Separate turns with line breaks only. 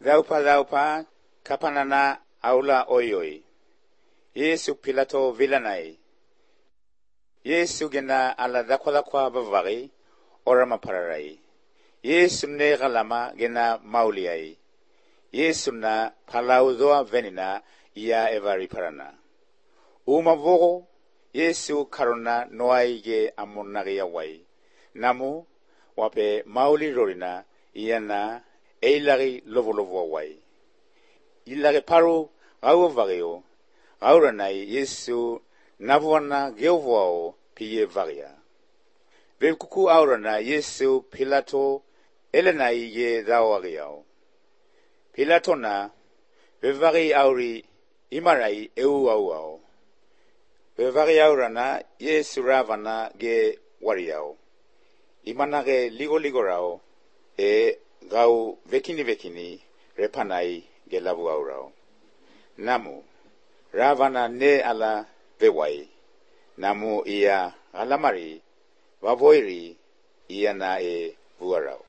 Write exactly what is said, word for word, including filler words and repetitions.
Raupa raupa kapanana aula oyoi. Yesu Pilato vilanai. Yesu gena ala dakwa dakwa bavari orama pararai. Yesu ne galama gena mauliai. Yesu na palauzoa venina ia evari parana. Uma vogo Yesu karona noaige amonari awai. Namu wape mauli rorina ia na eilari lovo lovo awai. Ilare paru gau vario gauranai Yesu navuana geovoao piye varia. Vekuku aurana Yesu Pilato elenai ye dawagiao. Pilato na bevari auri imarai eu auao. Bevari aurana Yesu ravana ge wariao. Imanage ligo ligo rao e gau vekini vekini repanai ge lavu aurao. Namu ravana ne ala bewai. Namu ia alamari vavoiri ia na e vuarao.